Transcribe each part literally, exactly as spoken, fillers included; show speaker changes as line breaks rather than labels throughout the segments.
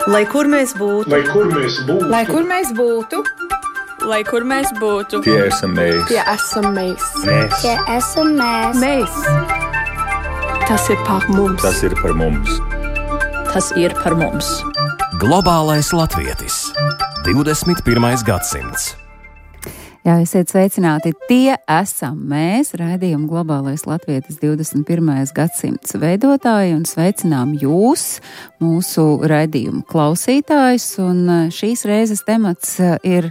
Lai kur mēs būtu,
lai kur mēs būtu,
lai kur mēs būtu,
lai kur mēs būtu,
tie esam mēs.
Tie esam mēs.
Mēs.
Tie esam mēs.
Mēs. Tas ir par mums.
Tas ir par mums.
Tas ir par mums.
Globālais latvietis. divdesmit pirmais gadsimts.
Jā, esiet sveicināti. Tie esam mēs, raidījuma Globālais latvietis divdesmit pirmais gadsimts veidotāji, un sveicinām jūs, mūsu raidījuma klausītājus. Un šīs reizes temats ir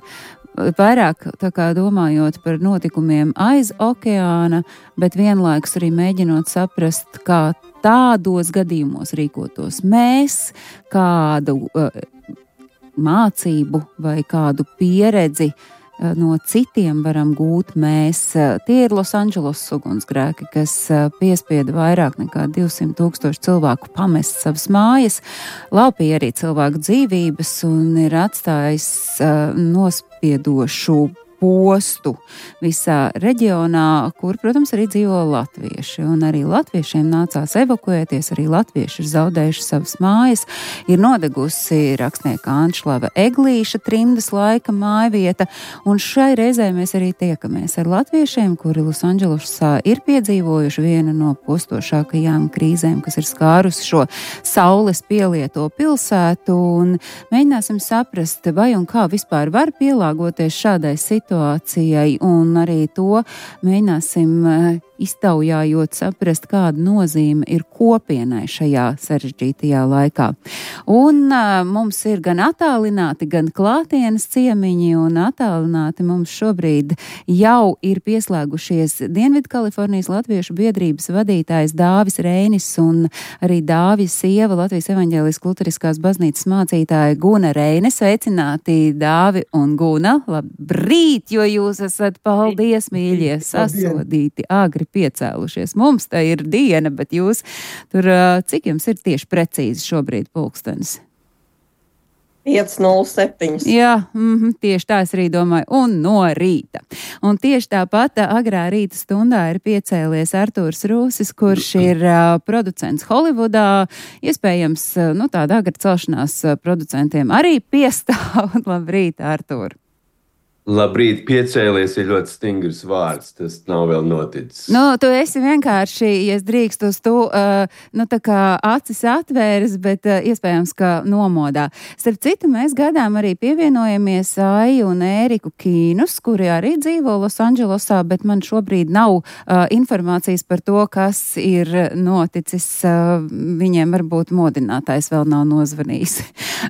vairāk tā kā domājot par notikumiem aiz okeāna, bet vienlaikus arī mēģinot saprast, kā tādos gadījumos rīkotos mēs, kādu uh, mācību vai kādu pieredzi no citiem varam gūt mēs. Tie ir Losandželosas ugunsgrēki, kas piespieda vairāk nekā divsimt tūkstoši cilvēku pamest savas mājas, laupīja arī cilvēku dzīvības un ir atstājis uh, nospiedošu postu visā reģionā, kur, protams, arī dzīvo latvieši. Un arī latviešiem nācās evakuēties, arī latvieši ir zaudējuši savas mājas. Ir nodegusi rakstnieka Anšlava Eglīša trimdas laika mājvieta, un šai reizē mēs arī tiekamies ar latviešiem, kuri Losandželosā ir piedzīvojuši vienu no postošākajām krīzēm, kas ir skārusi šo saules pielieto pilsētu, un mēģināsim saprast, vai un kā vispār var pielāgoties šādai situācijai, situācijai, un arī to mēģināsim iztaujājot saprast, kāda nozīme ir kopienai šajā sarežģītajā laikā. Un uh, mums ir gan attālināti, gan klātienes ciemiņi, un attālināti mums šobrīd jau ir pieslēgušies Dienvidkalifornijas Latviešu biedrības vadītājs Dāvis Reinis un arī Dāvis sieva, Latvijas evaņģēliskās luteriskās baznīcas mācītāja Guna Reine. Sveicināti, Dāvi un Guna. Labrīt, jo jūs esat, paldies, mīļie, sasodīti, agri piecēlušies. Mums tā ir diena, bet jūs tur, cik jums ir tieši precīzi šobrīd pulkstenis?
pieci nulle septiņi.
Jā, mm, tieši tā es arī domāju, un no rīta. Un tieši tāpat agrā rīta stundā ir piecēlies Artūrs Rūsis, kurš ir uh, producents Holivudā. Iespējams, uh, nu tāda agra celšanās uh, producentiem arī piestāv. Labrīt, Artūr!
Labrīt, piecēlies ir ļoti stingrs vārds, tas nav vēl noticis.
Nu, tu esi vienkārši, ja es drīkstu uz tu, uh, nu tā kā acis atvēris, bet uh, iespējams, ka nomodā. Starp citu, mēs gadām arī pievienojamies Aiju un Ēriku Kīnus, kuri arī dzīvo Losandželosā, bet man šobrīd nav uh, informācijas par to, kas ir noticis. Uh, viņiem varbūt modinātājs vēl nav nozvanījis.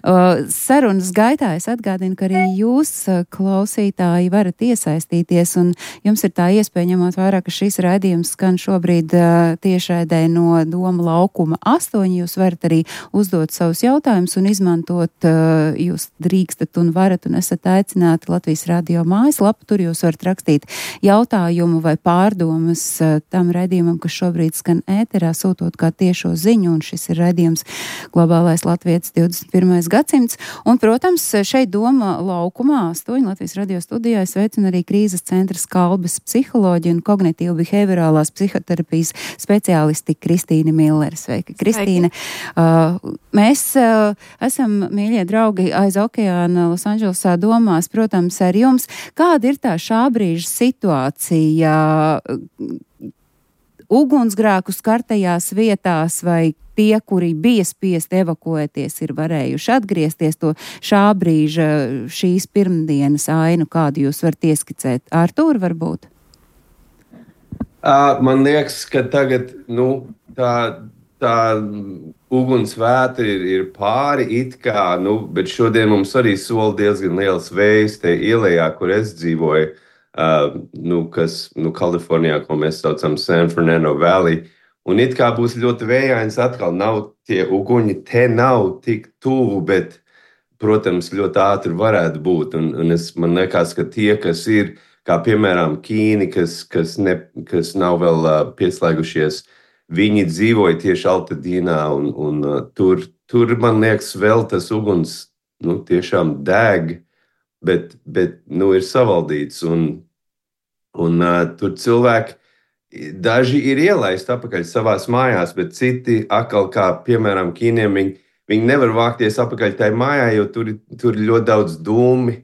Uh, sarunas gaitā es atgādinu, ka arī jūs uh, klausīt varat iesaistīties, un jums ir tā iespēja, ņemot vērā, ka šis raidījums skan šobrīd uh, tiešraidē no Doma laukuma astoņi. Jūs varat arī uzdot savus jautājumus un izmantot, uh, jūs drīkstat un varat un esat aicināti Latvijas radio mājaslapu. Tur jūs varat rakstīt jautājumu vai pārdomas uh, tam raidījumam, kas šobrīd skan ēterā, sūtot kā tiešo ziņu, un šis ir raidījums Globālais latvietis divdesmit pirmais gadsimts. Un, protams, šeit Doma laukumā astoņi Latvijas radio studijā es sveicinu arī krīzes centra Skalbes psiholoģiju un kognitīvu behaviorālās psihoterapijas speciālisti Kristīne Millere. Sveika, Kristīne. Uh, mēs uh, esam, mīļie draugi, aiz okeāna Losandželosā domās, protams, ar jums. Kāda ir tā šā brīža situācija ugunsgrēku skartajās vietās, vai tie, kuri bija spiesti evakuēties, ir varējuši atgriezties, to šā brīža, šīs pirmdienas ainu, kādu jūs varat ieskicēt? Artūr, varbūt?
Uh, man liekas, ka tagad nu, tā, tā ugunsvētra ir, ir pāri it kā, nu, bet šodien mums arī sola diezgan liels vējs te ielējā, kur es dzīvoju, uh, nu, kas nu, Kalifornijā, ko mēs saucam San Fernando Valley. Un it kā būs ļoti vējains, atkal nav tie uguņi, te nav tik tuvu, bet, protams, ļoti ātri varētu būt. Un, un es, man liekas, ka tie, kas ir, kā piemēram Kīni, kas, kas, ne, kas nav vēl uh, pieslēgušies, viņi dzīvoja tieši Altadīnā, un, un uh, tur, tur, man liekas, vēl tas uguns, nu, tiešām deg, bet, bet nu, ir savaldīts, un, un uh, tur cilvēki, daži ir ielaisti atpakaļ savās mājās, bet citi atkal, kā piemēram Kīniem, viņi, viņi nevar vākties apakaļ tai mājā, jo tur, tur ir ļoti daudz dūmi,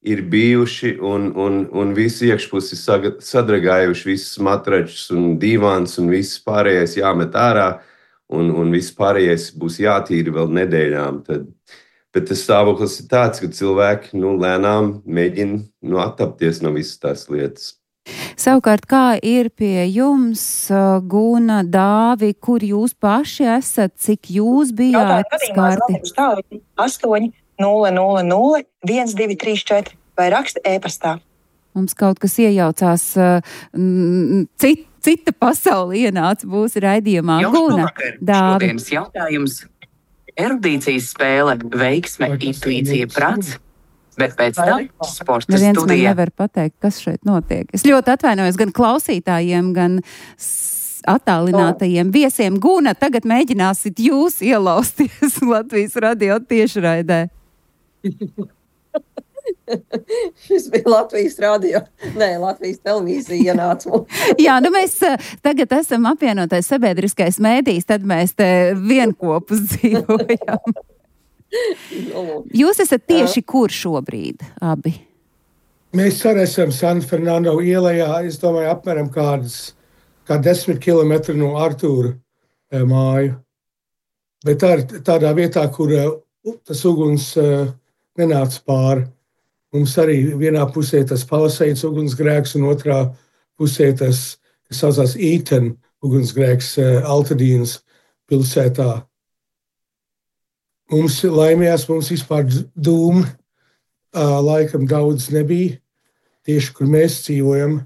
ir bijuši un, un, un visi iekšpusi sadragājuši, visas matračus un divāns un viss pārējais jāmet ārā, un, un viss pārējais būs jātīra vēl nedēļām. Tad, bet tas stāvoklis ir tāds, ka cilvēki nu, lēnām mēģina nu, attapties no visas tās lietas.
Savukārt, kā ir pie jums, Guna, Dāvi, kur jūs paši esat, cik jūs bijāt skarti?
astoņi nulle nulle nulle viens divi trīs četri vai raksta e-pastā.
Mums kaut kas iejaucās, cit, cita pasaule ienāca būs raidījumā. Guna, Dāvi.
Šodienas jautājums. Erudīcijas spēle, veiksme, intuīcija, prats. Bet pēc tam sporta
Neviens
studija.
Man nevar pateikt, kas šeit notiek. Es ļoti atvainojos gan klausītājiem, gan attālinātajiem viesiem. Guna, tagad mēģināsit jūs ielausties Latvijas radio tiešraidē.
Šis bija Latvijas radio. Nē, Latvijas televīzija ienāca mums.
Jā, nu mēs tagad esam apvienotais sabiedriskais mēdījis, tad mēs te vienkopus dzīvojam. Jūs esat tieši kur šobrīd, abi?
Mēs arī esam San Fernando ielējā, es domāju, apmēram kādas, kā desmit kilometri no Artūra e, māju. Bet tā ir tādā vietā, kur e, tas uguns e, nenāca pāri. Mums arī vienā pusē tas Palisades ugunsgrēks un otrā pusē tas, kas saucās Eaton ugunsgrēks e, Altadīnas pilsētā. Mums laimējās, mums vispār dūmu uh, laikam daudz nebija, tieši kur mēs dzīvojam.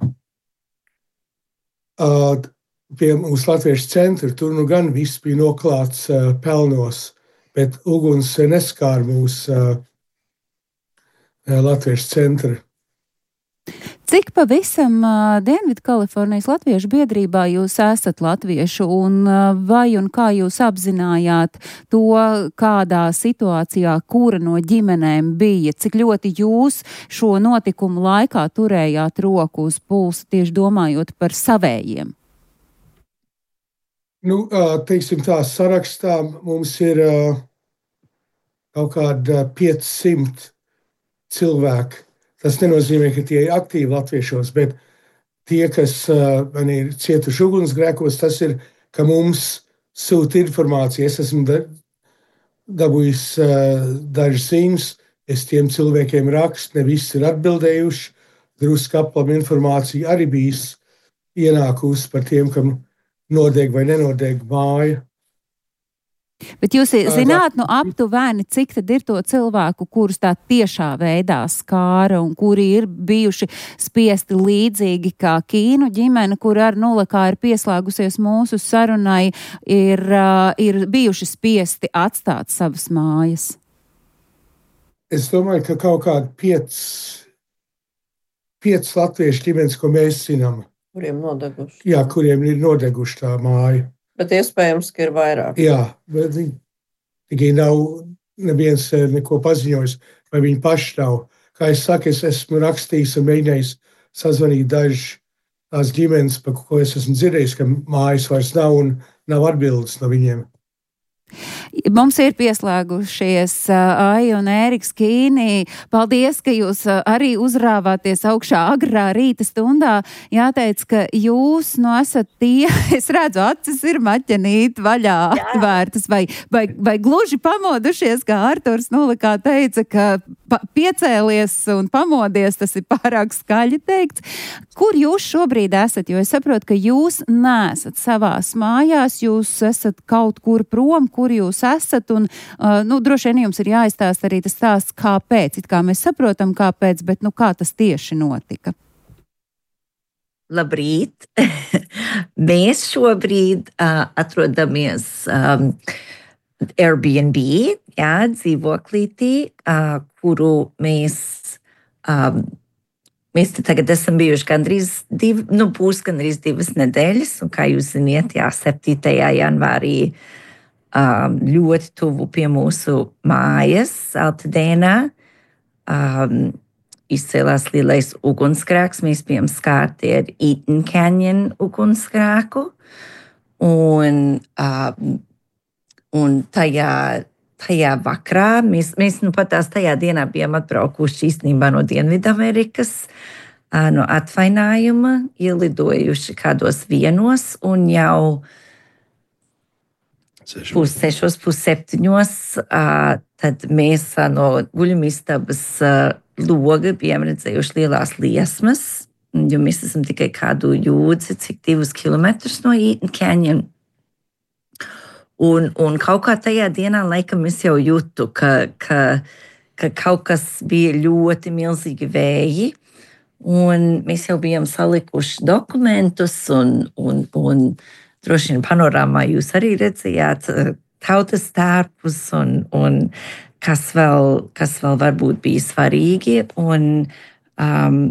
Uh, pie mums Latviešu centra, tur nu gan viss bija noklāts uh, pelnos, bet uguns neskāra mūs uh, Latviešu centra.
Cik pavisam uh, Dienvidu Kalifornijas Latviešu biedrībā jūs esat latviešu un uh, vai un kā jūs apzinājāt to, kādā situācijā kura no ģimenēm bija? Cik ļoti jūs šo notikumu laikā turējāt roku uz pulsa, tieši domājot par savējiem?
Nu, teiksim tā, sarakstā mums ir uh, kaut kāda piecsimt cilvēki. Tas nenozīmē, ka tie ir aktīvi latviešos, bet tie, kas uh, man ir cietuši ugunsgrēkos, tas ir, ka mums sūta informācija. Es esmu da, dabūjis uh, dažas ziņas, es tiem cilvēkiem rakstu, ne visi ir atbildējuši. Drusku aplam informācija arī bijis ienākusi par tiem, kam nodeg vai nenodeg māja.
Bet jūs zināt, nu aptuveni, cik tad ir to cilvēku, kurus tā tiešā veidā skāra un kuri ir bijuši spiesti līdzīgi kā Kīnu ģimene, kur ar nulle kā ir pieslēgusies mūsu sarunai, ir, uh, ir bijuši spiesti atstāt savas mājas?
Es domāju, ka kaut kādi piec, piec latviešu ģimenes, ko mēs zinām.
Kuriem nodeguši.
Jā, kuriem ir nodeguši tā māja.
Bet iespējams, ka ir vairāk.
Jā, bet viņi tikai nav neviens neko paziņojis, vai viņi paši nav. Kā es saku, es esmu rakstījis un mēģinājis sazvanīt dažas tās ģimenes, par ko es esmu dzirdējis, ka mājas vairs nav un nav atbildes no viņiem.
Mums ir pieslēgušies uh, Aija un Ēriks Kīnī. Paldies, ka jūs uh, arī uzrāvāties augšā agrā rīta stundā. Jāteic, ka jūs nu esat tie, es redzu, acis ir maķenīt vaļā atvērtas, vai, vai, vai gluži pamodušies, kā Arturs Nulikā teica, ka pa, piecēlies un pamodies, tas ir pārāk skaļi teikts. Kur jūs šobrīd esat? Jo es saprotu, ka jūs neesat savās mājās, jūs esat kaut kur prom, kur jūs esat, un, uh, nu, droši vien jums ir jāizstāst arī tas stāsts, kāpēc, it kā mēs saprotam, kāpēc, bet, nu, kā tas tieši notika?
Labrīt! Mēs šobrīd uh, atrodamies um, Airbnb, jā, dzīvoklītī, uh, kuru mēs um, Mēs te tagad esam bijuši gandrīz divi, nu, būs gandrīz divas nedēļas, un kā jūs ziniet, jā, septītajā janvārī um, ļoti tuvu pie mūsu mājas, Altadēnā, um, izcēlās lielais ugunsgrēks. Mēs bijām skārti ar Eaton Canyon ugunsgrēku, un, um, un tajā tajā vakarā, mēs, mēs nu pat tās tajā dienā bijām atbraukuši īstenībā no Dienvidamerikas, no atvainājuma, ielidojuši kādos vienos un jau pus sešos, pus septiņos, tad mēs no guļamistabas loga bijām redzējuši lielās liesmas, jo mēs esam tikai kādu jūdzi, cik divus kilometrus no Eaton Canyon. Un, un kaut kā tajā dienā laikam es jau jūtu, ka, ka, ka kaut kas bija ļoti milzīgi vēji, un mēs jau bijām salikuši dokumentus, un, un, un droši vien panorāmā jūs arī redzējāt tautas tērpus, un, un kas, vēl, kas vēl varbūt bija svarīgi. Un, um,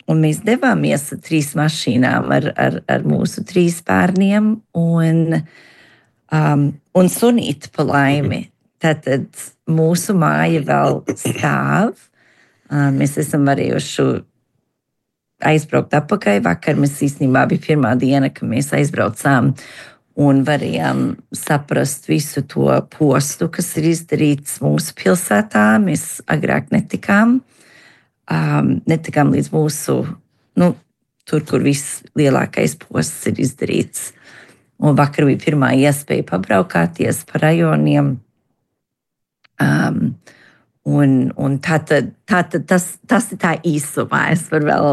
un mēs devāmies ar trīs mašīnām ar, ar, ar mūsu trīs bērniem, un Um, un sunīti pa laimi. Tātad mūsu māja vēl stāv. Um, mēs esam varējuši aizbraukt atpakaļ. Vakar mēs īstenībā bija pirmā diena, kad mēs aizbraucām un varējām saprast visu to postu, kas ir izdarīts mūsu pilsētā. Mēs agrāk netikām. Um, netikām līdz mūsu, nu, tur, kur viss lielākais posts ir izdarīts. Un vakar bija pirmā iespēja pabraukāties pa rajoniem. Um, un un tātad, tātad tas, tas ir tā īsumā. Es varu vēl.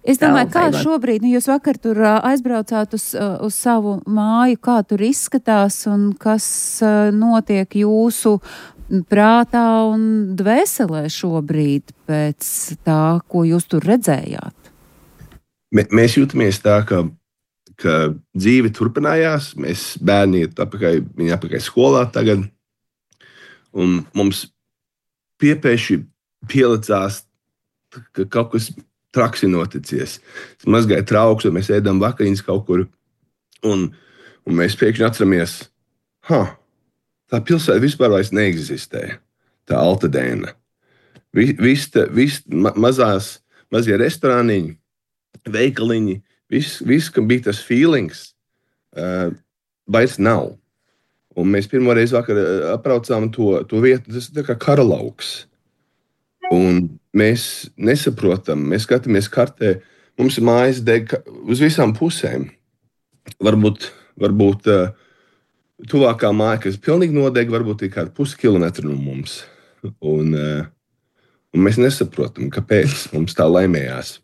Es domāju,
vēl
kā
vairāk.
šobrīd, nu jūs vakar tur aizbraucāt uz, uz savu māju, kā tur izskatās un kas notiek jūsu prātā un dvēselē šobrīd pēc tā, ko jūs tur redzējāt?
Mēs jūtamies tā, ka ka dzīve turpinājās, mēs bērni iet atpakaļ, viņi atpakaļ skolā tagad, un mums piepēši pielicās, ka kaut kas traks ir noticies. Es mazgāju trauks, un mēs ēdam vakariņas kaut kur, un, un mēs pēkšņi atceramies, ha, tā pilsēta vispār vairs neeksistē, tā Altadēna. Vis, vis, vis ma, mazās, mazie restorāniņi, veikaliņi, Viss, vis, kam bija tas feelings, uh, vairs nav. Un mēs pirmo reizi vakar apraucām to, to vietu, tas ir tā kā karalauks. Un mēs nesaprotam, mēs skatāmies kartē, mums ir mājas deg uz visām pusēm. Varbūt, varbūt uh, tuvākā māja, kas pilnīgi nodeg, varbūt ir kāda puskilometra no mums. Un, uh, un mēs nesaprotam, kāpēc mums tā laimējās.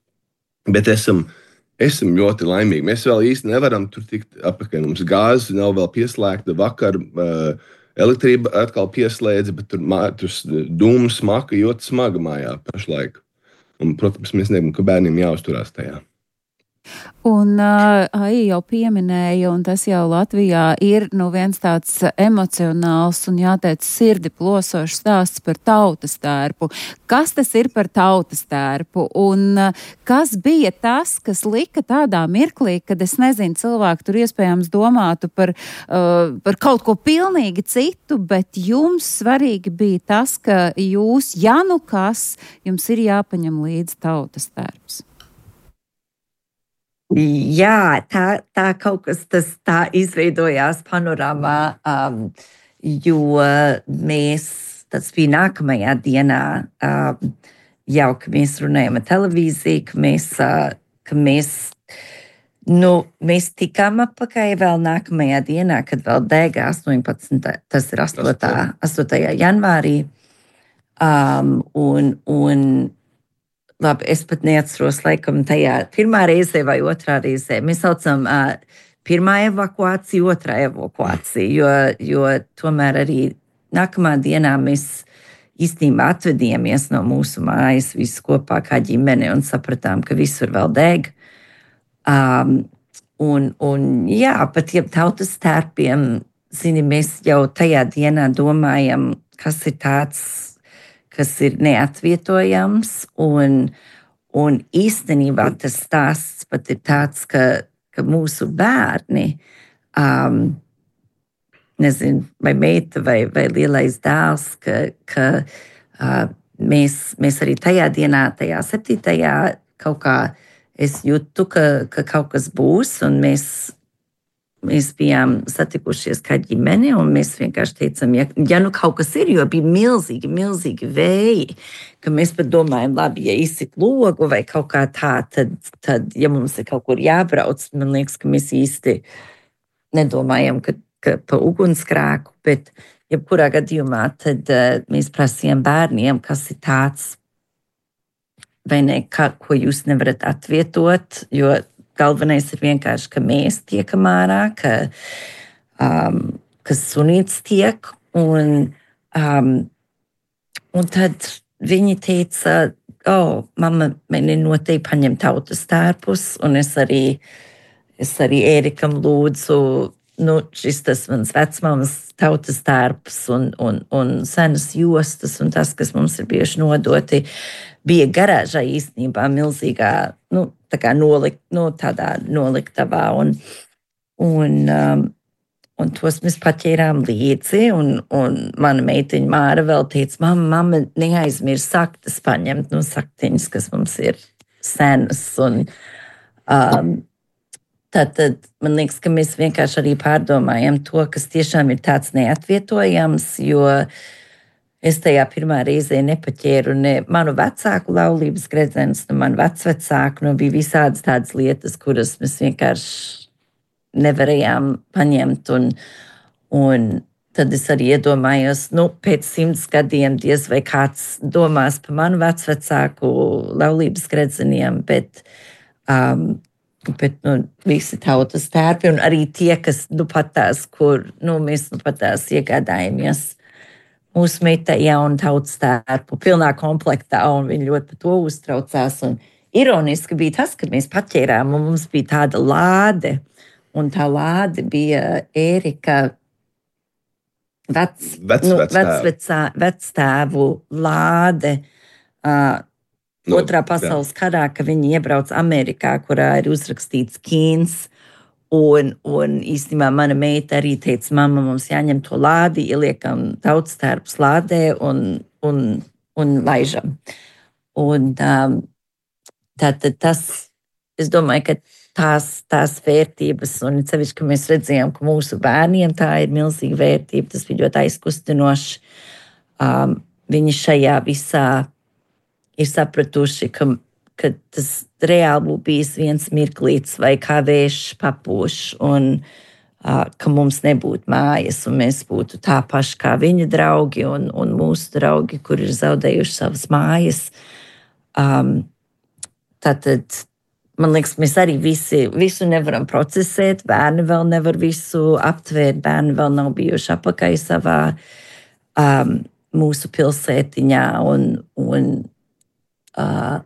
Bet esam... Esam ļoti laimīgi. Mēs vēl īsti nevaram tur tikt apakaļ. Mums gāze nav vēl pieslēgta. Vakar uh, elektrība atkal pieslēdza, bet tur, tur dūmu smaka ļoti smaga mājā pašlaik. Un, protams, mēs negribam, ka bērniem jāuzturās tajā.
Un uh, Aija jau pieminēja, un tas jau Latvijā ir nu, viens tāds emocionāls un jāteic sirdi plosošs stāsts par tautas tērpu. Kas tas ir par tautas tērpu? Un uh, kas bija tas, kas lika tādā mirklī, kad es nezinu, cilvēki tur iespējams domātu par, uh, par kaut ko pilnīgi citu, bet jums svarīgi bija tas, ka jūs, ja nu kas, jums ir jāpaņem līdzi tautas tērps.
Jā, tā, tā kaut kas tas tā izveidojās panorāmā, um, jo mēs, tas bija nākamajā dienā, um, jau, ka mēs runājam ar televīziju, ka mēs, uh, ka mēs, nu, mēs tikām atpakaļ vēl nākamajā dienā, kad vēl dega astoņpadsmitā tas ir astotajā janvārī, um, un, un labi, es pat neatceros, laikam, tajā pirmā reizē vai otrā reizē. Mēs saucam uh, pirmā evakuācija, otrā evakuācija, jo, jo tomēr arī nākamā dienā mēs īstenībā atvedījāmies no mūsu mājas visi kopā kā ģimene un sapratām, ka visur vēl deg. Um, un, un jā, pat ja tautas tērpiem, zini, mēs jau tajā dienā domājam, kas ir tāds, kas ir neatvietojams, un, un īstenībā tas stāsts pat ir tāds, ka, ka mūsu bērni, um, nezinu, vai meita vai, vai lielais dēls, ka, ka uh, mēs, mēs arī tajā dienā, tajā septītajā kaut kā es jūtu, ka, ka kaut kas būs, un mēs mēs bijām satikušies kā ģimene, un mēs vienkārši teicām, ja, ja nu kaut kas ir, jo bija milzīgi, milzīgi vēji, ka mēs pat domājam, labi, ja izsit logu vai kaut kā tā, tad, tad ja mums ir kaut kur jābrauc, man liekas, ka mēs īsti nedomājam, ka, ka pa ugunskrēku, bet jebkurā gadījumā tad uh, mēs prasījām bērniem, kas ir tāds, vai ne, ka, ko jūs nevarat atvietot, jo galvenais ir vienkārši, ka mēs tiekam ārā, ka, um, ka sunīts tiek, un, um, un tad viņi teica, o, oh, mamma, mani noteikti paņem tautas tērpus, un es arī, es arī Ērikam lūdzu, nu, šis tas mans vecmāmas tautas tērps un, un, un senas jostas un tas, kas mums ir bieži nodoti, bija garāžā īstenībā milzīgā, nu, tā kā nolikt, nu, tādā noliktavā un, un, um, un tos mēs paķērām līdzi un, un mana meitiņa Māra vēl teica, mamma, mamma, neaizmirs saktas paņemt, nu, saktiņas, kas mums ir senas un um, Tātad man liekas, ka mēs vienkārši arī pārdomājam to, kas tiešām ir tāds neatvietojams, jo es tajā pirmā reizē nepaķēru ne manu vecāku laulības gredzenus, ne manu vecvecāku, nu bija visādas tādas lietas, kuras mēs vienkārši nevarējām paņemt, un, un tad es arī iedomājos, nu, pēc simts gadiem diez vai kāds domās par manu vecvecāku laulības gredzeniem, bet um, Bet nu, visi tautas tērpi un arī tie, kas nu, pat tās, kur nu, mēs nu, pat tās iegādājamies mūsu meitai jaunu tautas tērpu, pilnā komplektā, un viņi ļoti par to uztraucās. Un ironiski bija tas, ka mēs paķērām, un mums bija tāda lāde, un tā lāde bija Ērika vec,
vec,
nu,
vectēvu.
vectēvu lāde. Uh,
No,
Otrā pasaules jā. Karā, ka viņi iebrauc Amerikā, kurā ir uzrakstīts Kīns, un, un īstenībā mana meita arī teica, mamma, mums jāņem to lādi, ieliekam tautas tērpus lādē un, un, un laižam. Un um, tātad tas, es domāju, ka tās, tās vērtības, un sevišķi, ka mēs redzējām, ka mūsu bērniem tā ir milzīga vērtība, tas bija ļoti aizkustinoši. Um, viņi šajā visā ir sapratuši, ka, ka tas reāli būtu bijis viens mirklīts vai kā vējš papūš un uh, ka mums nebūtu mājas un mēs būtu tā paši kā viņa draugi un, un mūsu draugi, kur ir zaudējuši savas mājas. Um, tātad, man liekas, mēs arī visi, visu nevaram procesēt, bērni vēl nevar visu aptvērt, bērni vēl nav bijuši apakai savā um, mūsu pilsētiņā un, un Uh,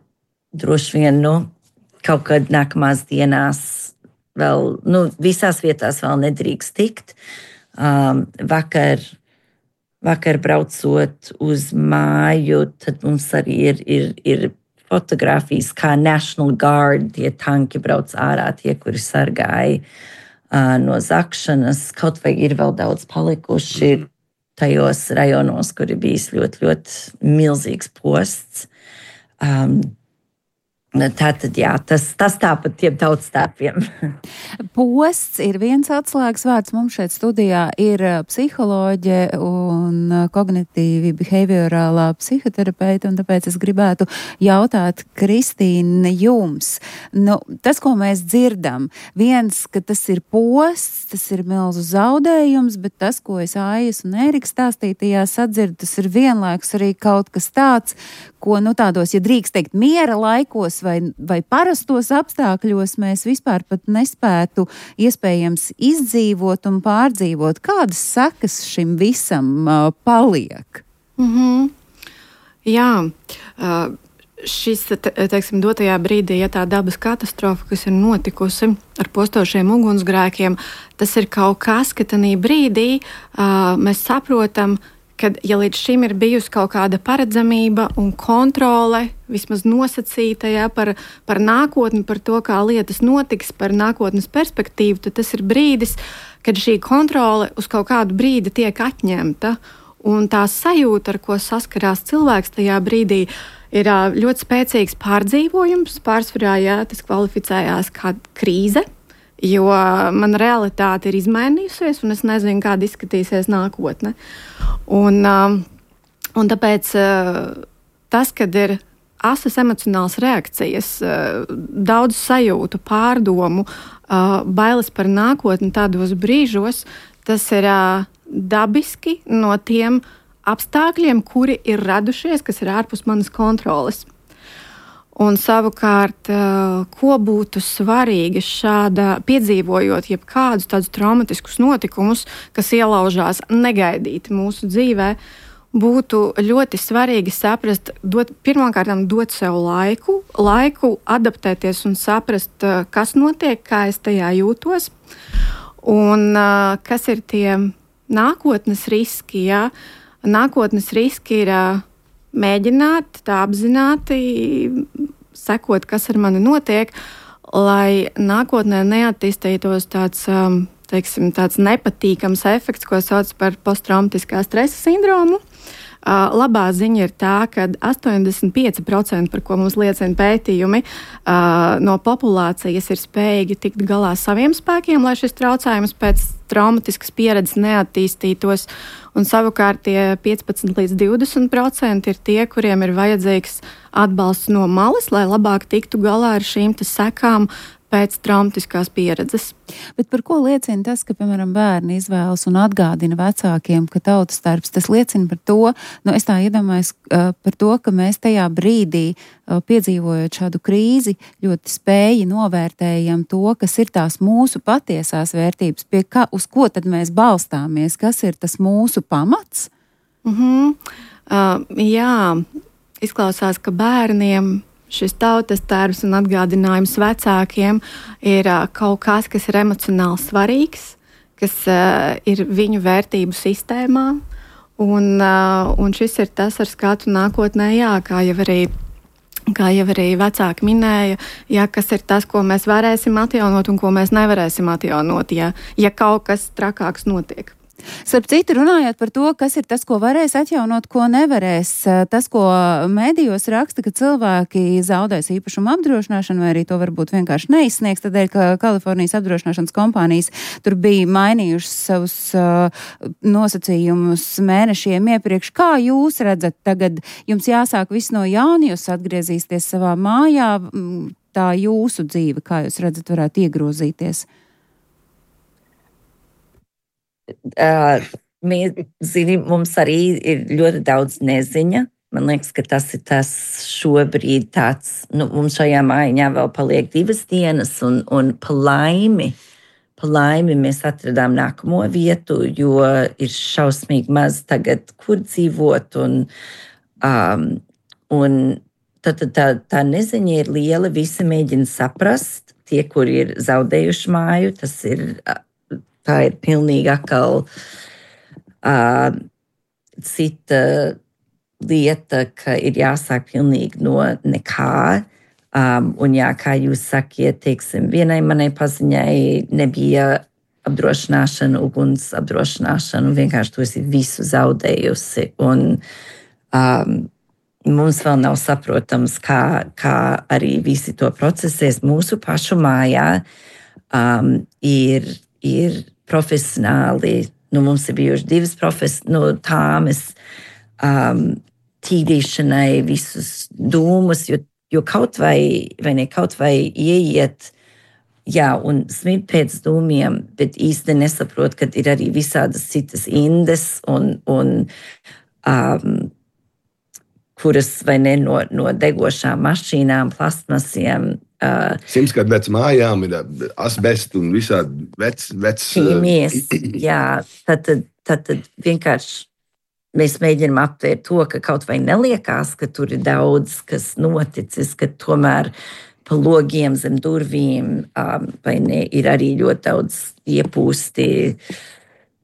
droši vien, nu, kaut kad nākamās dienās vēl, nu, visās vietās vēl nedrīkst tikt. Um, vakar, vakar braucot uz māju, tad mums arī ir, ir, ir fotogrāfijas, kā National Guard, tie tanki brauc ārā, tie, kuri sargāja uh, no zakšanas. Kaut vai ir vēl daudz palikuši tajos rajonos, kur ir bijis ļoti, ļoti milzīgs posts. Um, Tātad, jā, tas, tas tāpat tiem tautas tērpiem.
Posts ir viens atslēgas vārds. Mums šeit studijā ir psiholoģe un kognitīvi behaviorālā psihoterapeita, un tāpēc es gribētu jautāt, Kristīne, jums. Nu, tas, ko mēs dzirdam, viens, ka tas ir posts, tas ir milzu zaudējums, bet tas, ko es Aijas un Ērika stāstītajā sadzirdu, tas ir vienlaikus arī kaut kas tāds, ko, nu, tādos, ja drīkst teikt, miera laikos vai, vai parastos apstākļos mēs vispār pat nespētu iespējams izdzīvot un pārdzīvot. Kādas sekas šim visam uh, paliek?
Mm-hmm. Jā, uh, šis, te, teiksim, dotajā brīdī, ja tā dabas katastrofa, kas ir notikusi ar postošiem ugunsgrēkiem, tas ir kaut kas, ka tanī brīdī uh, mēs saprotam, kad, ja līdz šim ir bijusi kaut kāda paredzamība un kontrole, vismaz nosacīta, ja, par, par nākotni, par to, kā lietas notiks, par nākotnes perspektīvu, tad tas ir brīdis, kad šī kontrole uz kaut kādu brīdi tiek atņemta. Un tā sajūta, ar ko saskarās cilvēks tajā brīdī, ir ļoti spēcīgs pārdzīvojums. Pārsvarā, ja, tas kvalificējās kā krīze. jo mana realitāte ir izmainījusies, un es nezinu, kāda izskatīsies nākotne. Un, un tāpēc tas, kad ir asas emocionāls reakcijas, daudz sajūtu, pārdomu, bailes par nākotni tādos brīžos, tas ir dabiski no tiem apstākļiem, kuri ir radušies, kas ir ārpus manas kontroles. Un savukārt, ko būtu svarīgi šāda piedzīvojot jebkādus tādus traumatiskus notikumus, kas ielaužās negaidīti mūsu dzīvē, būtu ļoti svarīgi saprast, dot, pirmkārt, dot sev laiku, laiku adaptēties un saprast, kas notiek, kā es tajā jūtos, un kas ir tie nākotnes riski. Ja? Nākotnes riski ir mēģināt tā apzināti sekot, kas ar mani notiek, lai nākotnē neattīstītos tāds, teiksim, tāds nepatīkams efekts, ko sauc par posttraumatiskā stresa sindromu. Uh, labā ziņa ir tā, ka astoņdesmit pieci procenti, par ko mums liecina pētījumi, uh, no populācijas ir spējīgi tikt galā saviem spēkiem, lai šis traucējums pēc traumatiskas pieredzes neattīstītos. Un savukārt tie piecpadsmit līdz divdesmit procenti ir tie, kuriem ir vajadzīgs atbalsts no malas, lai labāk tiktu galā ar šīm sekām pēc traumatiskās pieredzes.
Bet par ko liecina tas, ka, piemēram, bērni izvēlas un atgādina vecākiem, ka tautas starps, tas liecina par to, nu es tā iedomājos par to, ka mēs tajā brīdī, piedzīvojot šādu krīzi, ļoti spēji novērtējam to, kas ir tās mūsu patiesās vērtības, pie kā, uz ko tad mēs balstāmies, kas ir tas mūsu pamats?
Mhm. Uh, jā, izklausās, ka bērniem šis tautas tērs un atgādinājums vecākiem ir uh, kaut kas, kas ir emocionāli svarīgs, kas uh, ir viņu vērtību sistēmā. Un, uh, un šis ir tas ar skatu nākotnē, jā, kā jau arī, kā jau arī vecāki minēja, jā, kas ir tas, ko mēs varēsim atjaunot un ko mēs nevarēsim atjaunot, ja, ja kaut kas trakāks notiek.
Starp citu, runājot par to, kas ir tas, ko varēs atjaunot, ko nevarēs, tas, ko mēdījos raksta, ka cilvēki zaudēs īpašumu apdrošināšanu, vai arī to varbūt vienkārši neizsniegs, tādēļ, ka Kalifornijas apdrošināšanas kompānijas tur bija mainījušas savus uh, nosacījumus mēnešiem iepriekš. Kā jūs redzat tagad? Jums jāsāk viss no jauna, jūs atgriezīsieties savā mājā, tā jūsu dzīve, kā jūs redzat, varētu iegrozīties?
Uh, mēs, zini, mums arī ir ļoti daudz neziņa. Man liekas, ka tas ir tas šobrīd tāds, nu, mums šajā mājiņā vēl paliek divas dienas, un, un pa laimi, pa laimi mēs atradām nākamo vietu, jo ir šausmīgi maz tagad, kur dzīvot, un, um, un tā, tā, tā, tā neziņa ir liela, visi mēģina saprast, tie, kuri ir zaudējuši māju, tas ir... Tā ir pilnīgi atkal uh, cita lieta, ka ir jāsāk pilnīgi no nekā. Um, un jā, kā jūs sakiet, teiksim, vienai manai paziņai nebija apdrošināšana, uguns apdrošināšana, un vienkārši to esi visu zaudējusi. Un um, mums vēl nav saprotams, kā, kā arī visi to procesēs mūsu pašu mājā. Um, ir, ir profesionāli, nu mums ir bijuši divas profes, nu tāmes um, tīrīšanai visus dūmus, jo, jo kaut vai, vai ne, kaut vai ieiet, jā, un smirt pēc dūmiem, bet īsti nesaprot, ka ir arī visādas citas indes, un, un um, kuras, vai ne, no, no degošām mašīnām, plastmasiem, Uh,
Simts gadu vec mājām ir asbests un visādi vec, vec
ķīmies, jā, tad, tad, tad, tad vienkārši mēs mēģinām aptvērt to, ka kaut vai neliekās, ka tur ir daudz, kas noticis, ka tomēr pa logiem zem durvīm um, vai ne, ir arī ļoti daudz iepūsti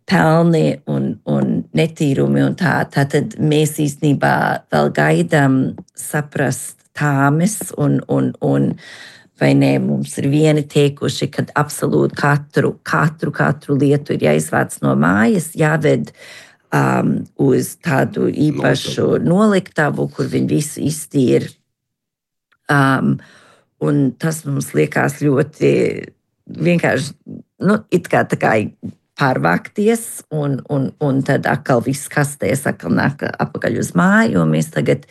pelni un, un netīrumi un tā. Tātad mēs īstenībā vēl gaidām saprast tāmes un, un, un vai ne, mums ir vieni teikuši, ka absolūti katru, katru, katru lietu ir jāizvāc no mājas, jāved um, uz tādu īpašu noliktavu, kur viņi visu iztīr. Um, un tas mums liekas ļoti vienkārši, nu, it kā tā kā pārvākties, un, un, un tad atkal viss kastēs, atkal nāk apakaļ uz māju, un mēs tagad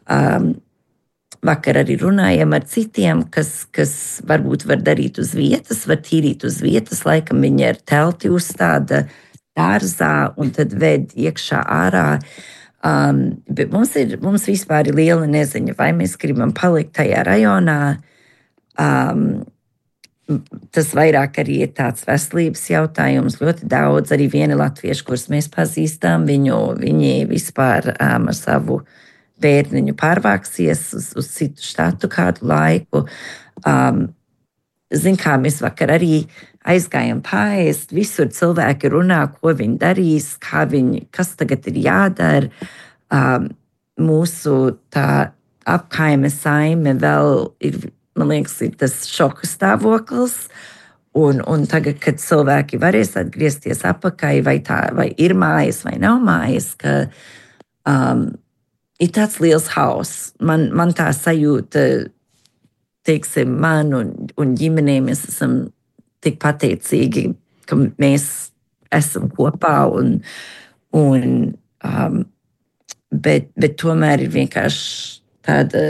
um, vakar arī runājam ar citiem, kas, kas varbūt var darīt uz vietas, var tīrīt uz vietas, laikam viņi ir telti uzstāda dārzā, un tad ved iekšā ārā. Um, bet mums ir, mums vispār ir liela neziņa, vai mēs gribam palikt tajā rajonā. Um, tas vairāk arī ir tāds veselības jautājums, ļoti daudz, arī vieni latvieši, kurus mēs pazīstam, viņu, viņi vispār um, ar savu bērniņu pārvāksies uz, uz citu štatu kādu laiku. Um, zin kā, mēs vakar arī aizgājām pāriest, visur cilvēki runā, ko viņi darīs, kā viņi, kas tagad ir jādara. Um, mūsu tā apkaime saime vēl ir, man liekas, ir tas šoka stāvoklis, un, un tagad, kad cilvēki varēs atgriezties apakaļ, vai, tā, vai ir mājas, vai nav mājas, ka um, ir tāds liels hauss. Man, man tā sajūta, teiksim, man un, un ģimenē mēs esam tik pateicīgi, ka mēs esam kopā, un, un, um, bet, bet tomēr ir vienkārši tāda,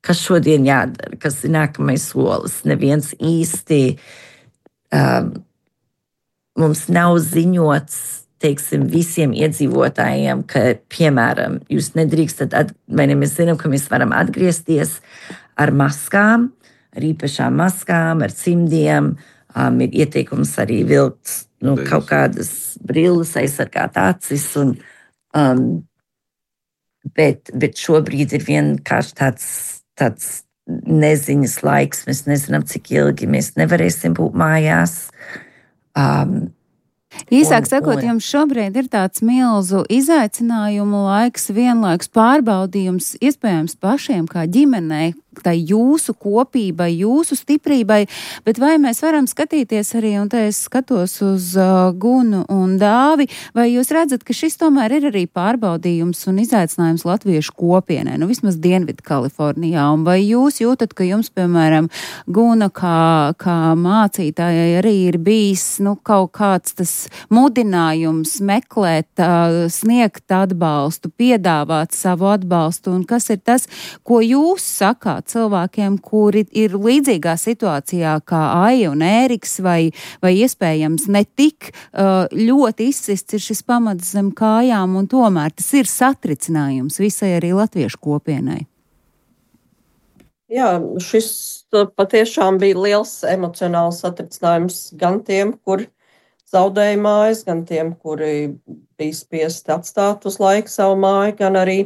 kas šodien jādara, kas ir nākamais solis. Neviens īsti um, mums nav ziņots, teiksim, visiem iedzīvotājiem, ka, piemēram, jūs nedrīkstat, at, vai ne, mēs zinām, ka mēs varam atgriezties ar maskām, ar īpašām maskām, ar cimdiem, um, ir ieteikums arī vilkt nu, kaut kādas brilles, aizsargāt acis, un, um, bet, bet šobrīd ir vienkārši tāds, tāds neziņas laiks, mēs nezinām, cik ilgi mēs nevarēsim būt mājās. Um,
Īsāk sakot, jums šobrīd ir tāds milzu izaicinājumu laiks, vienlaiks pārbaudījums, iespējams pašiem kā ģimenei, tai jūsu kopībai, jūsu stiprībai, bet vai mēs varam skatīties arī, un te es skatos uz uh, Gunu un Dāvi, vai jūs redzat, ka šis tomēr ir arī pārbaudījums un izaicinājums latviešu kopienai, nu vismaz Dienvidu Kalifornijā, un vai jūs jūtat, ka jums, piemēram, Guna kā, kā mācītājai arī ir bijis, nu, kaut kāds tas mudinājums meklēt, uh, sniegt atbalstu, piedāvāt savu atbalstu, un kas ir tas, ko jūs sakāt cilvēkiem, kuri ir līdzīgā situācijā kā Aija un Ēriks, vai, vai iespējams ne tik uh, ļoti izsists ir šis pamats zem kājām, un tomēr tas ir satricinājums visai arī latviešu kopienai.
Jā, šis patiešām bija liels emocionāls satricinājums gan tiem, kur zaudēja mājas, gan tiem, kuri bija spiesti atstāt uz laiku savu māju, gan arī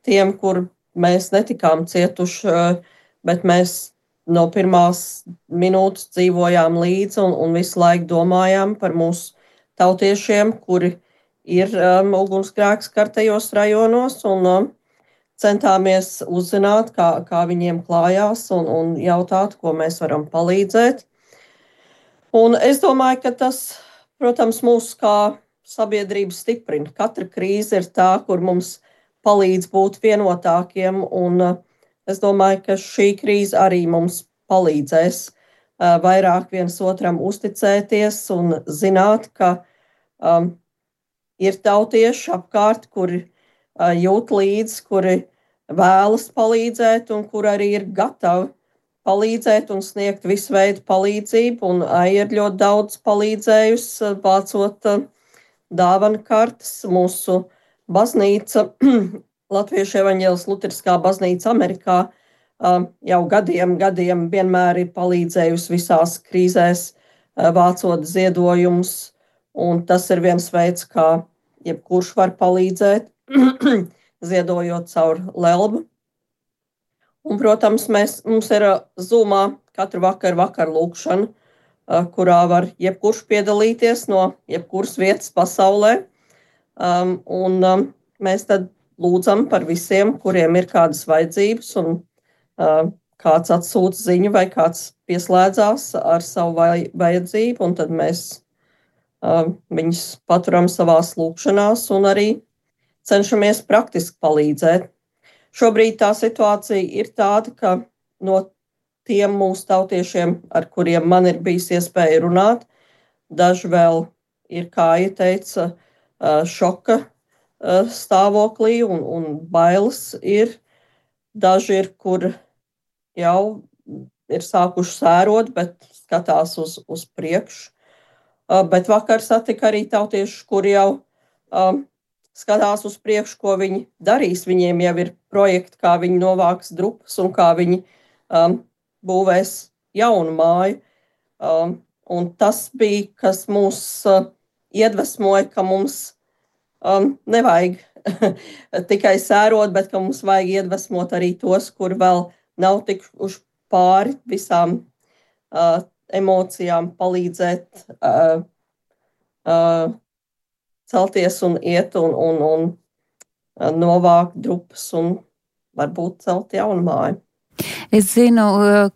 tiem, kur mēs netikām cietuši, bet mēs no pirmās minūtes dzīvojām līdzi un, un visu laiku domājām par mūsu tautiešiem, kuri ir um, ugunsgrēks skartajos rajonos, un um, centāmies uzzināt, kā, kā viņiem klājās, un, un jautāt, ko mēs varam palīdzēt. Un es domāju, ka tas, protams, mūs kā sabiedrību stiprina. Katra krīze ir tā, kur mums palīdz būt vienotākiem, un uh, es domāju, ka šī krīze arī mums palīdzēs uh, vairāk viens otram uzticēties un zināt, ka um, ir tautieši apkārt, kuri uh, jūt līdzi, kuri vēlas palīdzēt un kur arī ir gatavi palīdzēt un sniegt visu veidu palīdzību, un Aija ir ļoti daudz palīdzējusi, vācot uh, dāvanu kartes. Mūsu baznīca, Latviešu evaņģēliskā luteriskā baznīca Amerikā, jau gadiem, gadiem vienmēr ir palīdzējusi visās krīzēs, vācot ziedojumus, un tas ir viens veids, kā jebkurš var palīdzēt, ziedojot caur Lelbu. Un, protams, mēs, mums ir Zoomā katru vakaru vakar lūkšana, kurā var jebkurš piedalīties no jebkuras vietas pasaulē. Um, un um, mēs tad lūdzam par visiem, kuriem ir kādas vajadzības, un uh, kāds atsūta ziņu vai kāds pieslēdzās ar savu vaj- vajadzību, un tad mēs uh, viņus paturam savās lūkšanās un arī cenšamies praktiski palīdzēt. Šobrīd tā situācija ir tāda, ka no tiem mūsu tautiešiem, ar kuriem man ir bijis iespēja runāt. Daži vēl ir, kā ieteica, šoka stāvoklī un, un bailes ir. Daži ir, kur jau ir sākuši sērot, bet skatās uz, uz priekšu. Bet vakar satika arī tautieši, kuri jau um, skatās uz priekšu, ko viņi darīs. Viņiem jau ir projekti, kā viņi novāks drupas un kā viņi um, būvēs jaunu māju. Um, un tas bija, kas mūs uh, iedvesmoja, ka mums um, nevajag tikai sērot, bet ka mums vajag iedvesmot arī tos, kur vēl nav tikuši pāri visām uh, emocijām, palīdzēt uh, uh, celties un iet un, un, un uh, novākt drupas un varbūt celt jaunu māju.
Es zinu,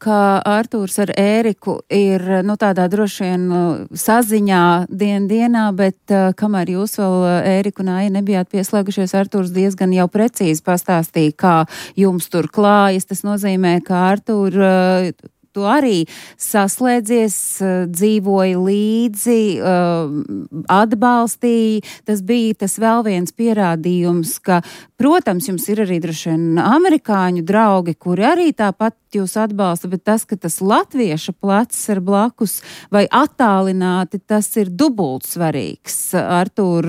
ka Artūrs ar Ēriku ir, nu, tādā droši vien saziņā dien dienā, bet kamēr jūs vēl, Ērika un Aija, nebijāt pieslēgušies, Artūrs diezgan jau precīzi pastāstīja, kā jums tur klājas. Tas nozīmē, ka Artūr, tu arī saslēdzies, dzīvoji līdzi, atbalstīji. Tas bija tas vēl viens pierādījums, ka, protams, jums ir arī droši vien amerikāņu draugi, kuri arī tāpat jūs atbalsta, bet tas, ka tas latvieša plecs ir blakus vai attālināti, tas ir dubult svarīgs. Artūr,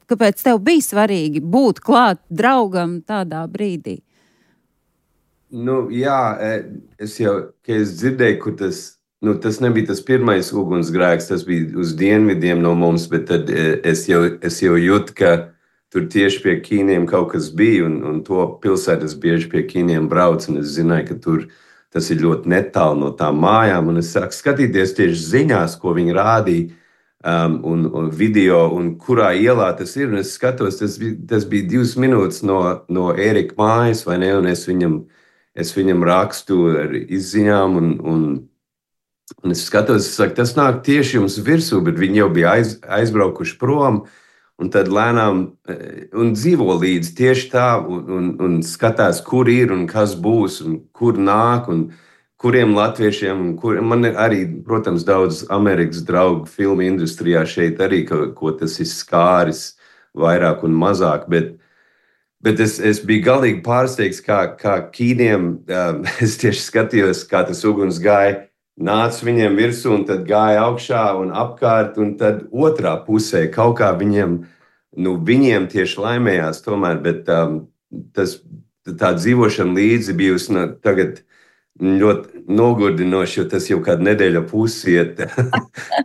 kāpēc tev bija svarīgi būt klāt draugam tādā brīdī?
Nu, jā, es jau, ka es dzirdēju, kur tas, nu, tas nebija tas pirmais ugunsgrēks, tas bija uz dienvidiem no mums, bet tad es jau, es jau jūtu, ka tur tieši pie Kīniem kaut kas bija, un, un to pilsētas bieži pie Kīniem brauc, un es zināju, ka tur tas ir ļoti netālu no tām mājām, un es sāku skatīties tieši ziņās, ko viņi rādīja, um, un, un video, un kurā ielā tas ir, un es skatos, tas bija, tas bija divas minūtes no, no Ērika mājas, vai ne, un es viņam Es viņam rakstu ar izziņām, un, un, un es skatos, es saku, tas nāk tieši jums virsū, bet viņi jau bija aiz, aizbraukuši prom, un tad lēnām, un dzīvo līdz tieši tā, un, un, un skatās, kur ir un kas būs, un kur nāk, un kuriem latviešiem, un kur, man ir arī, protams, daudz Amerikas draugu filmu industrijā šeit arī, ko, ko tas ir skāris vairāk un mazāk, bet Bet es, es biju galīgi pārsteigts, kā, kā Kīniem, um, es tieši skatījos, kā tas uguns gāja, nāca viņiem virsū un tad gāja augšā un apkārt, un tad otrā pusē kaut kā viņiem, nu, viņiem tieši laimējās tomēr, bet um, tas, tā dzīvošana līdzi bijusi nu, tagad ļoti nogurdinoši, jo tas jau kādu nedēļu pusiet.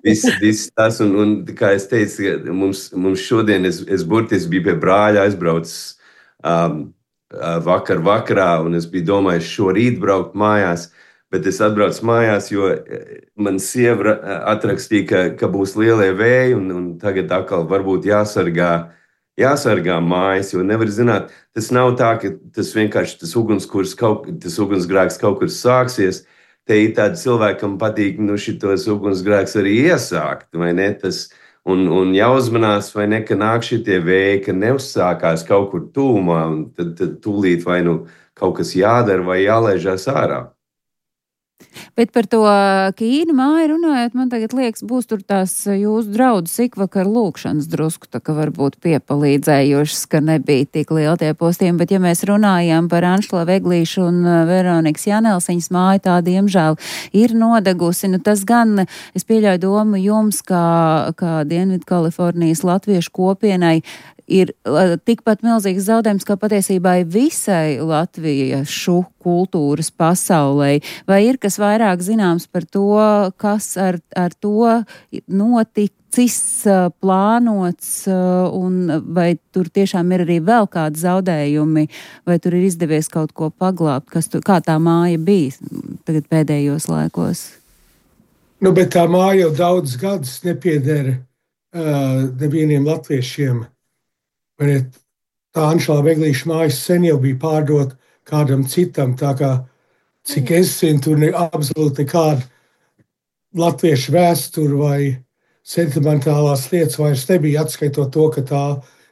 viss, viss tas, un, un kā es teicu, mums, mums šodien, es, es burtiski biju pie brāļa aizbraucis, Um, vakar vakarā, un es biju domājis šorīt braukt mājās, bet es atbraucu mājās, jo man sieva atrakstīja, ka, ka būs lielie vēji, un, un tagad atkal varbūt jāsargā, jāsargā mājas, jo nevar zināt, tas nav tā, ka tas vienkārši tas ugunskurs, kaut, tas ugunsgrēks kaut kur sāksies. Te ir tādi cilvēki, kam patīk, nu, šitos ugunsgrēks arī iesākt, vai ne, tas Un, un jāuzmanās, vai ne, ka nāk šitie vēji, ka neuzsākās kaut kur tūmā, un tad, tad tūlīt vai nu kaut kas jādara vai jālaižās ārā.
Bet par to Kīnu māju runājot, man tagad liekas, būs tur tās jūsu draudzes ikvakar lūkšanas drusku, tā ka varbūt piepalīdzējušas, ka nebija tik liela tie postījumi, bet ja mēs runājām par Anšla Veglīšu un Veronikas Janelsiņas māju, tā diemžēl ir nodegusi, nu tas gan, es pieļauju domu jums, kā, kā Dienvidu Kalifornijas latviešu kopienai, ir tikpat milzīgs zaudējums, kā patiesībā visai latviešu kultūras pasaulē. Vai ir kas vairāk zināms par to, kas ar, ar to noticis, plānots, un vai tur tiešām ir arī vēl kādi zaudējumi, vai tur ir izdevies kaut ko paglābt, kas tur, kā tā māja bija tagad pēdējos laikos?
Nu, bet tā māja jau daudz gadus nepieder uh, nevieniem latviešiem. Tā Anšla Veglīša mājas sen jau bija pārdot kādam citam, tā kā, cik es zinu, tur ne, absolūti nekāda latviešu vēsturu vai sentimentālās lietas vairs nebija, atskaitot to, ka tā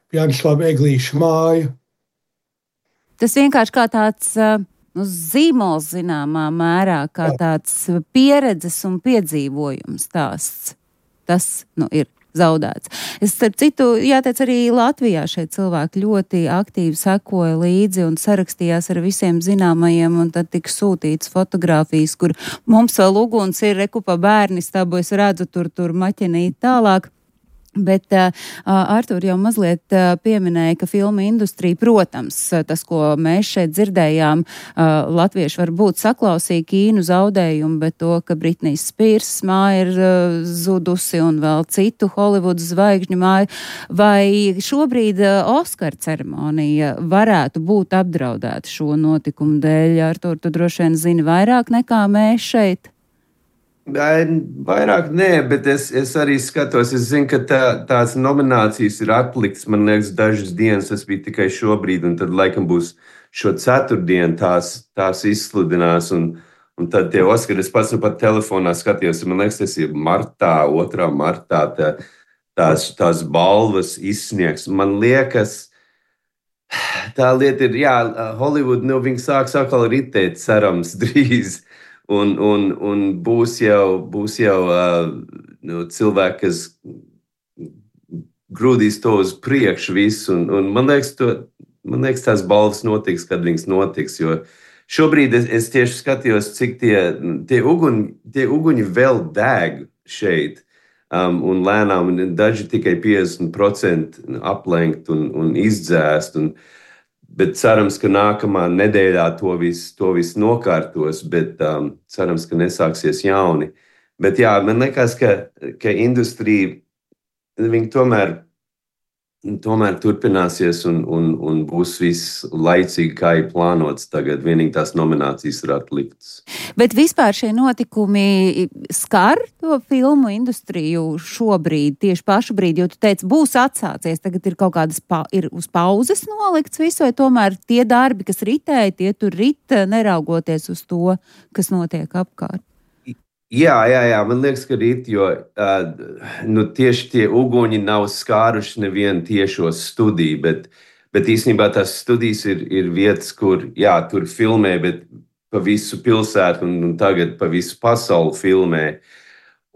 bija Anšla Veglīša māja.
Tas vienkārši kā tāds uh, nu, zīmols zināmā mērā, kā tāds pieredzes un piedzīvojums stāsts. Tas, nu, ir zaudēts. Es, starp citu, jāteic, arī Latvijā šie cilvēki ļoti aktīvi sekoja līdzi un sarakstījās ar visiem zināmajiem, un tad tika sūtīts fotogrāfijas, kur mums vēl uguns ir, reku pa bērnistabu, es redzu tur, tur maķinīt tālāk. Bet uh, Artur jau mazliet uh, pieminēja, ka filmu industrija, protams, tas, ko mēs šeit dzirdējām, uh, latvieši varbūt saklausīja Kīnu zaudējumu, bet to, ka Britnijas Spears māja ir uh, zudusi un vēl citu Holivudas zvaigžņu māju, vai šobrīd uh, Oskar ceremonija varētu būt apdraudēta šo notikumu dēļ? Artur, tu droši vien zini vairāk nekā mēs šeit.
Vairāk nē, bet es, es arī skatos, es zinu, ka tā, tās nominācijas ir atliktas, man liekas, dažas dienas, tas bija tikai šobrīd, un tad laikam būs šo ceturtdienu tās, tās izsludinās, un, un tad tie Oskari, es pats nu pat telefonā skatījos, man liekas, tas ir martā, otrā martā, tā, tās, tās balvas izsniegs. Man liekas, tā lieta ir, jā, Hollywood, nu, viņi sāks atkal ritēt, cerams, drīz. Un, un, un būs jau, būs jau uh, nu, cilvēki, kas grūdīs to uz priekšu visu. Un, un man, liekas, to, man liekas, tās balvas notiks, kad viņas notiks. Jo šobrīd es, es tieši skatījos, cik tie, tie, uguņi, tie uguņi vēl deg šeit. Um, un lēnām, un daži tikai piecdesmit procenti aplenkt un, un izdzēst. Un, Bet cerams, ka nākamā nedēļā to visu to vis nokārtos, bet um, cerams, ka nesāksies jauni. Bet jā, man liekas, ka, ka industrija, viņi tomēr, tomēr turpināsies un, un, un būs viss laicīgi, kā ir plānots tagad. Vienīgi tās nominācijas ir atliktas.
Bet vispār šie notikumi skar to filmu industriju šobrīd, tieši pašu brīdi, jo tu teici, būs atsācies, tagad ir kaut kādas pa, ir uz pauzes nolikts visu, vai tomēr tie darbi, kas ritēja, tie tur rit, neraugoties uz to, kas notiek apkārt?
Jā, jā, jā, man liekas, ka rīt, jo uh, nu, tieši tie uguņi nav skāruši nevienu tiešo studiju, bet, bet īstenībā tās studijas ir, ir vietas, kur, jā, tur filmē, bet pa visu pilsētu un, un tagad pa visu pasauli filmē.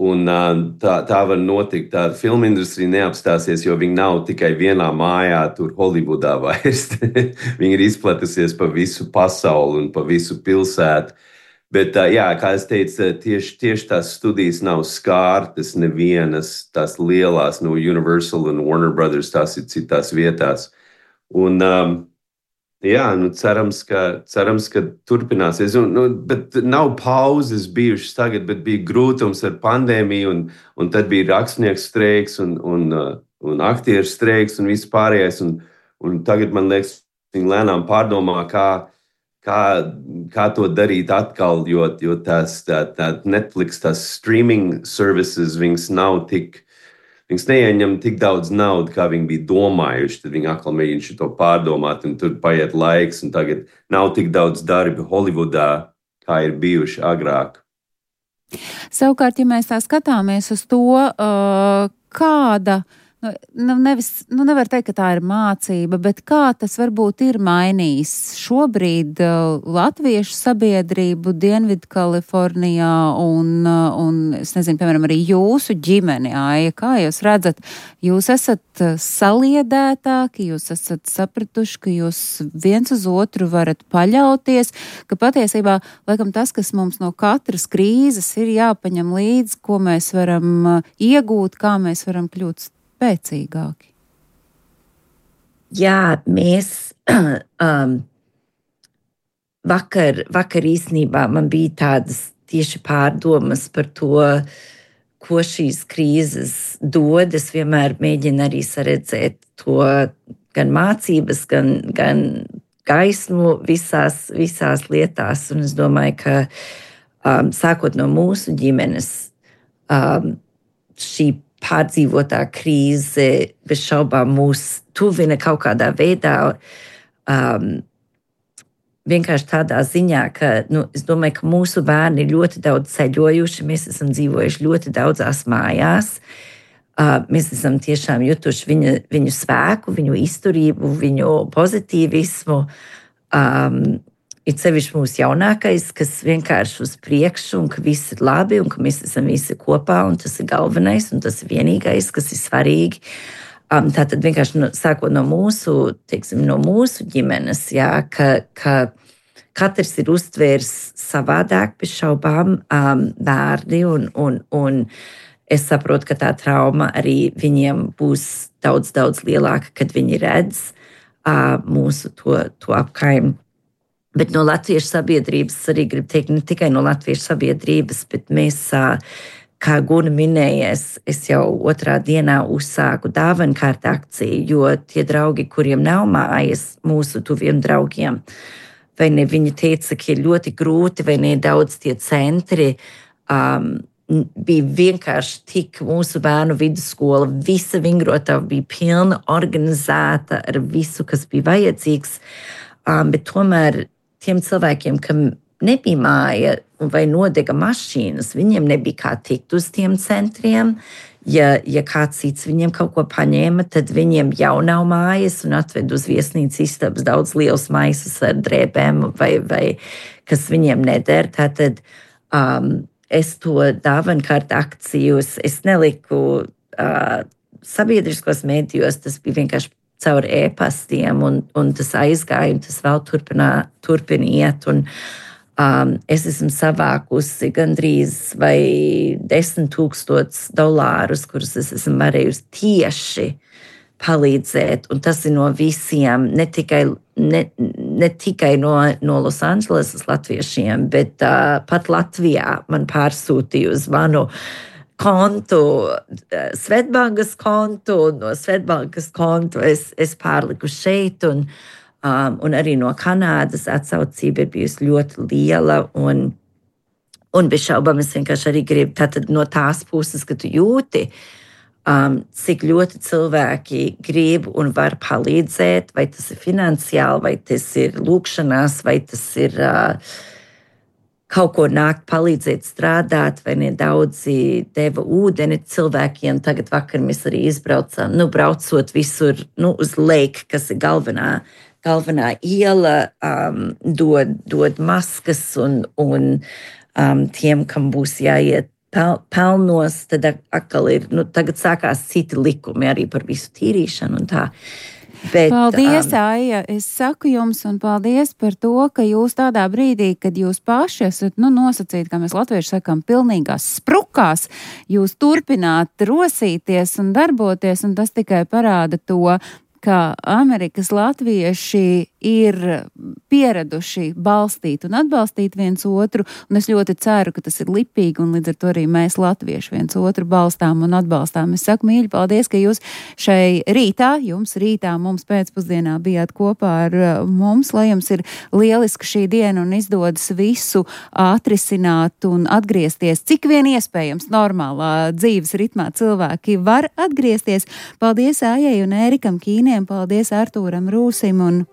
Un uh, tā, tā var notikt. Tā filmu industrija neapstāsies, jo viņi nav tikai vienā mājā, tur Hollywoodā vairs. Viņi ir izplatusies pa visu pasauli un pa visu pilsētu. Bet, jā, kā es teicu, tieši, tieši tās studijas nav skārtas nevienas, tās lielās, no Universal un Warner Brothers, tās ir citās vietās. Un, um, jā, nu, cerams, ka, cerams, ka turpināsies. Un, nu, bet nav pauzes bijušas tagad, bet bija grūtums ar pandēmiju, un, un tad bija rakstnieku streiks un, un, un aktieru streiks un viss pārējais. Un, un tagad, man liekas, viņi lēnām pārdomā, kā Kā, kā to darīt atkal, jo, jo tās tā, tā Netflix, tās streaming services, viņas nav tik, viņas neieņem tik daudz naudu, kā viņi bija domājuši. Tad viņi atkal mēģina šo pārdomāt, un tur paiet laiks, un tagad nav tik daudz darbi Hollywoodā, kā ir bijuši agrāk.
Savukārt, ja mēs tā skatāmies uz to, uh, kāda Nu, nu, nevis, nu nevar teikt, ka tā ir mācība, bet kā tas varbūt ir mainījis šobrīd uh, latviešu sabiedrību Dienvidkalifornijā un, uh, un, es nezinu, piemēram, arī jūsu ģimeni, Aija, kā jūs redzat, jūs esat saliedētāki, jūs esat sapratuši, ka jūs viens uz otru varat paļauties, ka patiesībā, laikam, tas, kas mums no katras krīzes ir jāpaņem līdzi, ko mēs varam uh, iegūt, kā mēs varam kļūt spēcīgāki.
Jā, mēs um, vakar, vakar īstenībā man bija tādas tieši pārdomas par to, ko šīs krīzes dod. Es vienmēr mēģinu arī saredzēt to gan mācības, gan, gan gaismu visās, visās lietās. Un es domāju, ka um, sākot no mūsu ģimenes, um, šī pārdzīvotā krīze bez šaubām mūs tuvina kaut kādā veidā, um, vienkārši tādā ziņā, ka nu, es domāju, ka mūsu bērni ir ļoti daudz ceļojuši, mēs esam dzīvojuši ļoti daudzās mājās, uh, mēs esam tiešām jutuši viņa, viņu spēku, viņu izturību, viņu pozitīvismu, um, it sevišķi mūsu jaunākais, kas vienkārši uz priekšu un ka viss ir labi un ka mēs esam visi kopā un tas ir galvenais un tas ir vienīgais, kas ir svarīgi. Um, tātad vienkārši no, sākot no mūsu, teiksim, no mūsu ģimenes, jā, ka, ka katrs ir uztvērs savādāk bez šaubām um, bērni un, un, un es saprotu, ka tā trauma arī viņiem būs daudz, daudz lielāka, kad viņi redz uh, mūsu to, to apkaim. Bet no latviešu sabiedrības arī gribu teikt, ne tikai no latviešu sabiedrības, bet mēs, uh, kā Guna minējies, es jau otrā dienā uzsāku dāvankārt akciju, jo tie draugi, kuriem nav mājas, mūsu tuviem draugiem, vai ne, viņi teica, ka ir ļoti grūti, vai ne, daudz tie centri, um, bija vienkārši tik mūsu bērnu vidusskola, visa vingrotava bija pilna, organizēta ar visu, kas bija vajadzīgs, um, bet tomēr tiem cilvēkiem, kam nebija māja vai nodega mašīnas, viņiem nebija kā tikt uz tiem centriem. Ja, ja kāds cits viņiem kaut ko paņēma, tad viņiem jau nav mājas un atved uz viesnīcas istabas daudz liels maisus ar drēbēm vai, vai kas viņiem neder. Tātad um, es to dāvankārt akcijus, es neliku uh, sabiedriskos mēdījos, tas bija vienkārši caur e-pastiem un, un tas aizgāja un tas vēl turpinā, turpina iet un Um, es esmu savākusi gandrīz vai desmit tūkstotis dolārus, kurus es esmu varējusi tieši palīdzēt. Un tas ir no visiem, ne tikai, ne, ne tikai no, no Losandželesas latviešiem, bet uh, pat Latvijā man pārsūtīja uz manu kontu, uh, Svetbankas kontu, un no Svetbankas kontu es, es pārliku šeit un Um, un arī no Kanādas atsaucība ir bijusi ļoti liela un, un bez šaubām es vienkārši arī gribu tātad no tās puses, ka tu jūti, um, cik ļoti cilvēki grib un var palīdzēt, vai tas ir finansiāli, vai tas ir lūkšanās, vai tas ir uh, kaut ko nākt palīdzēt strādāt, vai nedaudzi deva ūdeni cilvēkiem. Tagad vakar mēs arī izbraucām, nu, braucot visur, nu, uz Lake, kas ir galvenā Galvenā iela um, dod, dod maskas un, un um, tiem, kam būs jāiet pel, pelnos, tad atkal ir, nu, tagad sākās citi likumi arī par visu tīrīšanu un tā. Bet,
paldies,
um,
Aija. Es saku jums un paldies par to, ka jūs tādā brīdī, kad jūs paši esat, nu, nosacīti, kā mēs latvieši sakām, pilnīgās sprukās, jūs turpināt rosīties un darboties, un tas tikai parāda to, ka Amerikas latvieši ir pieraduši balstīt un atbalstīt viens otru, un es ļoti ceru, ka tas ir lipīgi, un līdz ar to arī mēs latvieši viens otru balstām un atbalstām. Es saku, mīļi, paldies, ka jūs šai rītā, jums rītā, mums pēcpusdienā bijāt kopā ar mums, lai jums ir lieliska šī diena un izdodas visu atrisināt un atgriezties, cik vien iespējams normālā dzīves ritmā cilvēki var atgriezties. Paldies Ājai un Ērikam Kīniem, paldies Artūram Rūsim un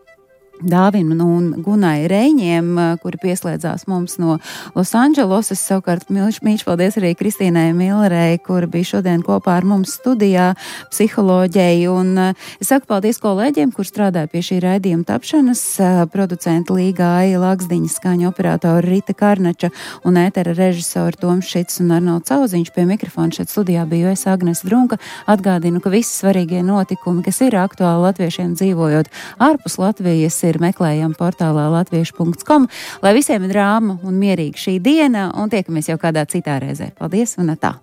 Dāvim un Gunai Reiņiem, kuri pieslēdzās mums no Losandželosas. Savukārt mīļš, mīļš paldies arī Kristīnai Millerei, kura bija šodien kopā ar mums studijā, psiholoģei. Un es saku paldies kolēģiem, kur strādāja pie šī raidījuma tapšanas, producenta Līga Aija Lagsdiņa, skaņa operatora Rita Karnača un ētera režisori Toms Šits un Arnolds Cauziņš. Pie mikrofona šeit studijā biju es, Agnes Drunka. Atgādinu, ka visi svarīgie notikumi, kas ir aktuāli latviešiem dzīvojot ārpus Latvijas, ir meklējama portālā latviešu punkts com. Lai visiem ir rāma un mierīga šī diena, un tiekamies jau kādā citā reizē. Paldies un atā!